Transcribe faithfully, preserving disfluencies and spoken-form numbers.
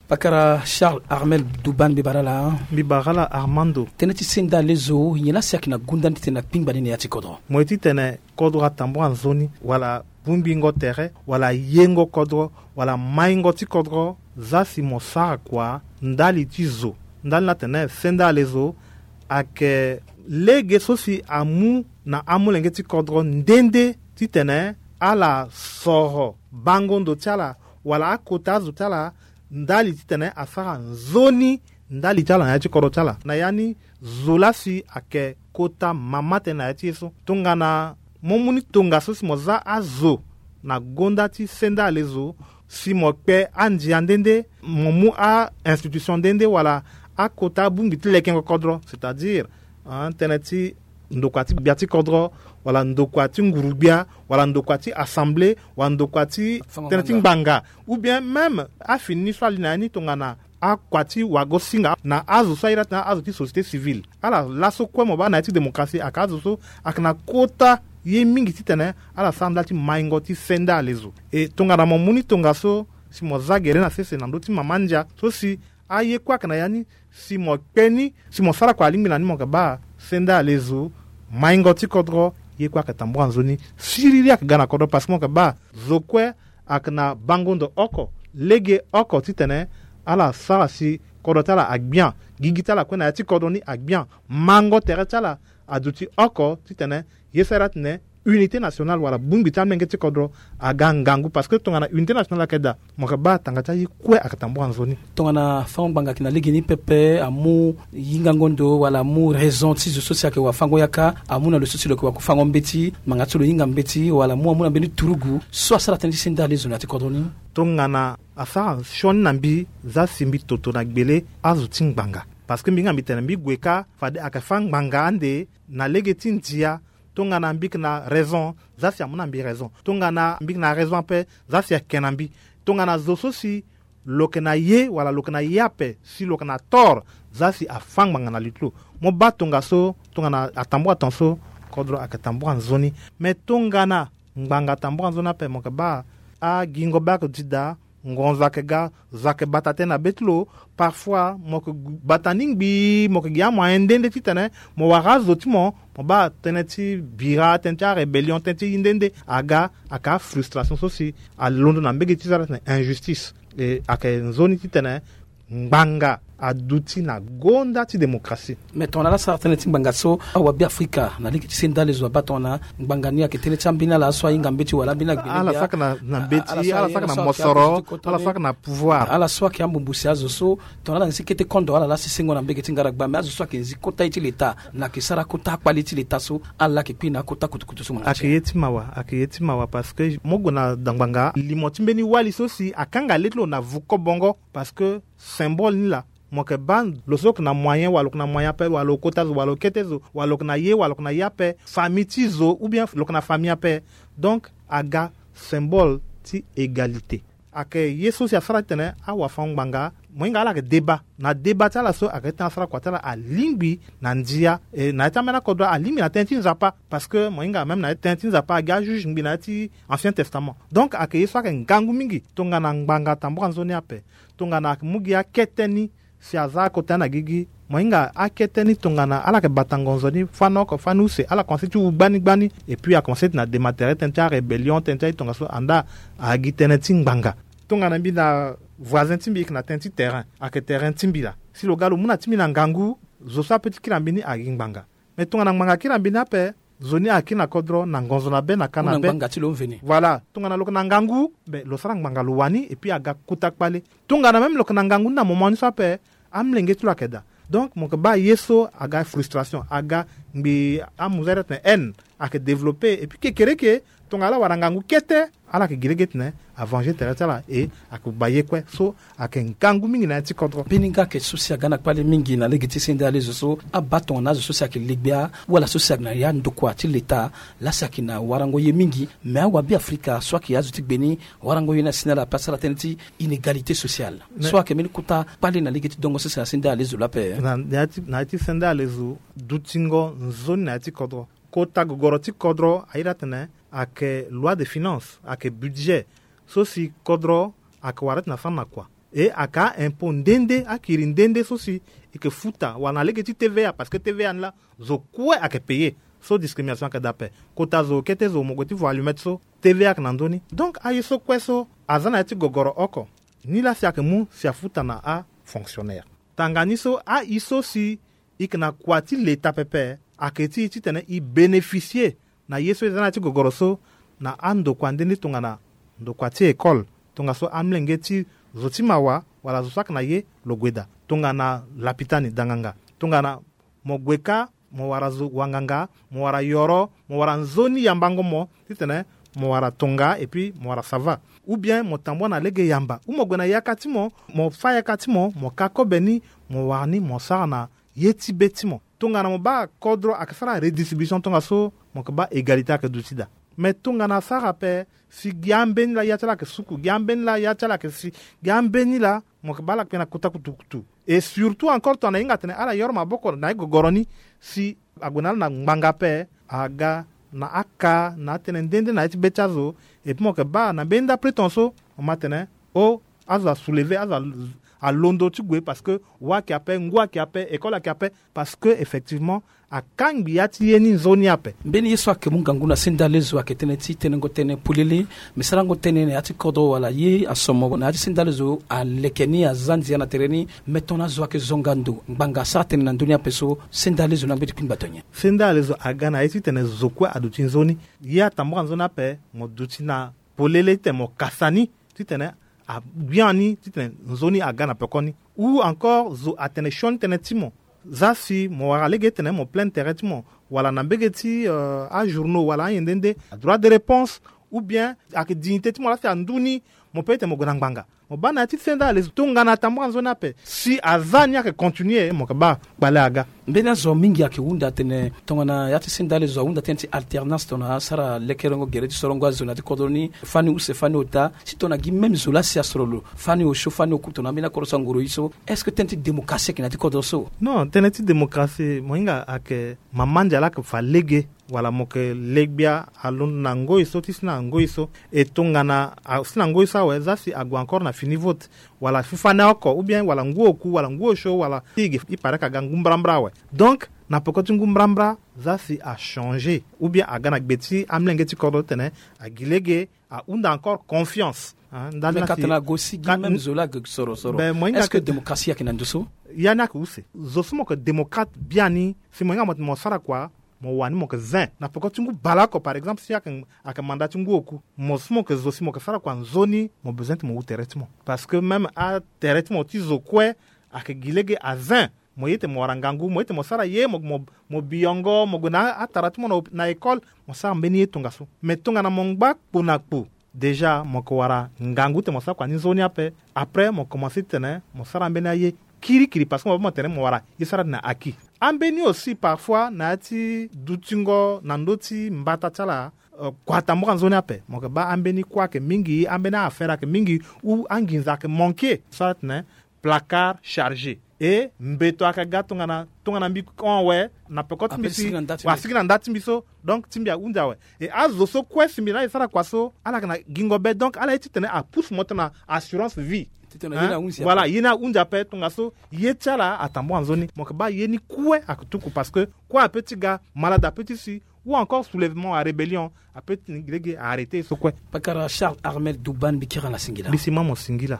Pakara Charles Armel Duban, mbi bara ala. Mbi bara ala Armando. Tënë ti senda lezo nyen la si ayeke na gonda ni titene akpingba ni na ya ti kodro? Mo ye titene kodro atambua nzoni wala bungbingo tere wala yengo kodro wala maingo ti kodro, za si mo sara kua ndali ti zo. Ndali ni atene senda lezo ayeke lege so si amu na amolenge ti kodro nde nde titene ala soro bango ndo ti ala wala akota azo ti ala ndali titene asara nzoni ndali ti ala na ya ti kodro ti ala. Na ya ni zo la si ayeke kota mama tënë na ya ti ye so. Tongana mo mu ni tongaso si mo za azo na gonda ti senda lezo, si mo kpe andia nde nde, mo mu a-institution nde nde wala akota abongbi ti lekengo kodro, c'est-à-dire tënë ti ndokua ti gbia ti kodro wala ndokua ti nguru-gbia wala ndokua ti assemblée wala ndokua ti tënë ti ngbanga, ou bien même afini ni so ali na ya ni tongana akua ti wago-singa na azo so aye daa titene azo ti société civile. Ala laso kue mo baa na ya ti démocratie ayeke azo so ayeke na kota ye mingi titene ala sara ndali ti maingo ti senda lezo. E tongana mo mu ni tongaso si mo za gere na sese na ndö ti mama ndia so si aye kue ayeke na ya ni, si mo kpe ni si mo sara kua alingbi na ni, mo yeke baa senda lezo, maingo ti kodro, ye kue ayeke tambula nzoni. Siriri ayeke ga na kodro parce que mo yeke baa zo kue ayeke na bango ndo oko, lege oko titene ala sara si kodro ti ala agbia, gigi ti ala kue na ya ti kodro ni agbia, mango tere ti ala aduti oko titene ye sara titene unité nationale wala bongbi ti amolenge ti kodro aga ngangu parce que tongana unité nationale ayeke daa, mo yeke baa tanga ti aye kue ayeke tambula nzoni. Tongana fango ngbanga ayeke na legeni pepe amu yingango ndo wala amu raison ti zo so si ayeke wafango yaka, amu na lo so si lo yeke wafango mbeti, ngbanga ti lo hinga mbeti wala amu amu na mbeni turugu so asara tënë ti senda lezo na ya ti kodro ni. Tongana asara sioni na mbi, za si mbi toto na gbele azo ti ngbanga. Parce que mbi hinga mbi tene mbi gue kâ fade ayeke fâ ngbanga ande na lege ti ndia. Tongana mbi yeke na raison, za si amu na mbi raison. Tongana mbi yeke na raison ape, za si ayeke na mbi. Tongana zo so si lo yeke na ye wala lo yeke na ye ape si lo yeke na tort, za si afâ ngbanga na li ti lo. Mo baa tongaso, tongana atambula tongaso, kodro ayeke tambula nzoni. Me tongana ngbanga atambula nzoni ape, mo yeke baa agingo be ayeke duti daa, ngonzo ayeke ga, zo ayeke bata tënë na be ti lo. Parfois mo yeke bata ni ngbii, mo yeke gi amoyen nde nde titene mo wara azo ti mo. Mo baa tënë ti bira, tënë ti arébellion, tënë ti nde nde aga, ayeke afrustration so si alondo na mbege ti sara titene injustice. E ayeke nzoni titene ngbanga aduti na gonda ti démocratie. Me tongana ala sara tënë ti ngbanga so, awabe afrika na lege ti senda lezo abaa tongana ngbanga ni ayeke tënë ti ambeni ala so ahinga mbeti wala ambeni agbene ala gbia, saki na, na mbeti, ala saki na mosoro, ala saki na pouvoir, ala so ayeke ambumbu si azo so. Tongana ala nzi kete kondo, ala laa si sengo na mbege ti ngaragba, me azo so ayeke nzi kota ye ti leta, na ayeke sara kota akpale ti leta so, ala laa ayeke kpi na akota kutukutu so mo na ayeke ye ti mawa, ayeke ye ti mawa parce que mo gue na ngbanga, limo ti mbeni wali so si akanga le ti lo na vu kobongo. Parce que symbole ni laa, mo yeke baa lo so lo yeke na moyen wala lo yeke na moyen ape wala lo kota zo wala lo kete zo wala lo yeke na ye wala lo yeke na ye ape, famille ti zo ou bien lo yeke na famille ape. Donc aga symbole ti égalité. Ayeke ye so si asara titene awafango ngbanga, mo hinga ala yeke débat. Na débat ti ala so ayeke titene asara kua ti ala alingbi na ndia, e na ya ti ambeni akodro alingbi na tënë ti nzapa. Parce que mo hinga même na ya ti tënë ti nzapa agi ajuge ngbii na ya ti Ancien Testament. Donc ayeke ye so ayeke ngangu mingi. Tongana ngbanga atambula nzoni ape, tongana ayeke mu gi akete ni si aza akota ni na gigi, mo hinga akete ni tongana ala yeke bata ngonzo ni fani oko fani use, ala komanse ti wu gbani gbani. Et puis akomanse ti na dema tere tënë ti arébellion, tënë ti aye tongaso, andaa agi tënë ti ngbanga. Tongana mbi na voisin ti mbi, e yeke na tënë ti terrain, ayeke terrain ti mbi laa. Si lo ga lo mu na ti mbi na ngangu, zo so ape ti kiri na mbi ni agi ngbanga. Mais tongana ngbanga akiri na mbi ni ape, zo ni akiri na kodro na ngonzo na be na ka na be. Ngbanga ti lo mveni. Voilà, tongana lo yeke na ngangu, be lo sara ngbanga lo wani, et puis aga kota kpale. Tongana même lo yeke na ngangu ni na moment ni so ape, amolenge ti lo ayeke daa. Donc mo yeke baa ye so aga frustration, aga ngbii amuza iri atene haine ayeke développé. Et puis kekereke, tongana ala wara ngangu kete, ala yeke gi lege titene avenger tere ti ala, e ayeke baa ye kue so. Ayeke ngangu mingi na ya ti kodro. Mbeni nga ayeke so si aga na kpale mingi na lege ti sende alezo so, abaa tongana azo so si ayeke legbia wala so si ayeke na ya ndokua ti leta, laa si ayeke na warango ye mingi. Me awabe afrika so ayeke azo ti gbe ni, warango ye ni asi na ala ape, asara tënë ti inégalité sociale. So ayeke mbeni kota kpale na lege ti dongo sese na sende alezo laa ape. Na ya ti, na ya ti sende alezo, dutingo nzoni na ya ti kodro. Kota gogoro ti kodro airi atene ayeke loi de finance, ayeke budget so si kodro ayeke wara titene asara na kua. E ayeke a-impôt nde nde, akiri nde nde so si e yeke futa wala na lege ti T V A, parce que T V A ni laa zo kue ayeke payer. So discrimination ayeke daa ape. Kota zo kete zo mo gue ti vo allumette so, T V A ayeke na ndö ni. Donc aye so kue so aza na ya ti gogoro oko, ni laa si ayeke mu si afuta na afonctionnaire. Tanga ni so, aye so si e yeke na kua ti leta pepe, ayeke ti e titene e bénéficier na ye so e za na ya ti gogoro so, na andokua nde nde tongana ndokua ti école, tongaso amlenge ti zo ti mawa wala zo so ayeke na ye lo gue daa, tongana lapitani danganga, tongana mo gue kâ, mo wara zo wanganga, mo wara yoro, mo wara nzoni yambango mo titene mo wara tonga, et puis mo wara sava. Ou bien mo tambua na lege yamba, ou mo gue na yaka ti mo, mo fâ yaka ti mo, mo ka kobe ni, mo wara ni mo sara na ye ti be ti mo. Tongana mo baa kodro ayeke sara redistribution tongaso, mo yeke baa égalité ayeke duti daa. Mais tongana asara ape, si gi ambeni laa ya ti ala ayeke suku, gi ambeni laa ya ti ala ayeke si, gi ambeni laa mo yeke baa ala kpe na kota kutukutu. Et surtout encore tongana e hinga atene ala yoro maboko na e gogoro ni, si ague na ala na ngbanga ape, aga na aka na atënë nde nde na ya ti be ti azo. Et puis mo yeke baa na mbeni ndapre ton so, mo ma atene, oh, azo asoulever, azo a- alondo ti gue, parce que wâ ayeke ape, ngu ayeke ape, école ayeke ape. Parce que effectivement akangbi ya ti ye ni nzoni ape. Mbeni ye so ayeke mu ngangu na sendalezo ayeke tënë ti tenengo tënë polele. Me sarango tënë na ya ti kodro wala ye asomo na ya ti sendalezo aleke ni, aza ndia na tere ni. Me tongana azo ayeke zonga ndo ngbanga asara tënë na ndö ni ape so, sendalezo ni angbi ti kpingba to nyen? Sendalezo aga na ye titene zo kue aduti nzoni. Ye atambara nzoni ape, mo duti na polele titene mo kasa ni, titene agbia ni titene nzoni aga na pekoni. Ou encore zo atene sioni tënë ti mo. Za si mo wara lege titene mo plaindre tere ti mo, wala na mbege ti, euh, ajournaux wala ayen nde nde, adroit de réponse, ou bien ayeke dignité ti mo laa si andu ni, mo peut titene mo gue na ngbanga. Mo baa na ya ti sendalezo tongana atambara nzoni ape, si aza ni ayeke continuer, mo yeke baa kpale aga. Mbeni azo mingi ayeke hunda atene tongana ya ti sendalezo ahunda tënë ti alternance tongana asara lekerengo gere ti sorongo azo na ya ti kodro ni, fani use fani ota, si tongana gi même zo laa si asoro lo, fani osio fani oku tongana ambeni akodro so angoro ye so. Est-ce que tënë ti démocratie ayeke na ya ti kodro so? Non, tënë ti démocratie mo hinga ayeke mama ndia laa ayeke fa lege, wala mo yeke le gbia alondo na ngoi so ti si na ngoi so. E tongana asi na ngoi so awe, za si ague encore na fini vote, wala fufane oko, ou bien wala ngu oku wala ngu osio, wala ti e ge, e paraît ka ga ngu mbrambra awe. Donc na peko ti ngu mbrambra, za si achanger ou bien aga na gbe ti amlenge ti kodro titene agi lege ahunda encore confiance, hein. Ndali me na ka si tena ago si gi ka- même zo laa age soro soro. Ben, mo hinga est-ce que ke- démocratie ayeke na ndo so? Ya ni ayeke use. Zo so mo yeke démocrate biani, si mo hinga mo tene mo sara kua, mo wani mo yeke zin na peko ti ngu baleoko. Par exemple si ayeke, ayeke manda ti ngu oku, mo so mo yeke zo si mo yeke sara kua nzoni, mo bezoin ti mo hu tere ti mo. Parce que même atere ti mo ti zo kue ayeke gi lege azin. Mo ye tene mo wara ngangu, mo ye tene mo sara ye, mo, mo, mo biyongo, mo gue na atara ti mo na, na école, mo sara mbeni ye tongaso. Mais tongana mo ngba kpo na kpo, déjà mo yeke wara ngangu tene mo sara kua ni nzoni ape. Après mo commencer titene mo sara mbeni aye kirikiri, parce que mo baa mo tene mo wara ye so ala ti na aki. Ambeni aussi parfois na ya ti dutingo na ndö ti mbata ti ala, euh, kua tambara nzoni ape. Mo yeke baa ambeni kue ayeke mingi, ambeni a-affaire ayeke mingi, ou anginza ayeke manquer so ala ti tene placard chargé. E mbeto ayeke ga tongana, tongana mbi hon awe, na peko ti mbi si, asigi na nda ti mbi so. Donc ti mbi ahunzi awe. E azo so kue si mbi laa e sara kua so, ala yeke na gingo be. Donc ala ye titene apousse mo tena assurance vie. Titene, hein? Ye ni ahunzi ape. Voilà, ye ni ahunzi ape tongaso ye ti ala atambara nzoni. Mo yeke baa ye ni kue ayeke tuku, parce que kue ape ti ga, malade ape ti si, ou encore soulèvement à rébellion, ape ti lege arrêter so kue. Pakara Charles Armel Douban, mbi kiri ala singila. Mbi si ma mo singila.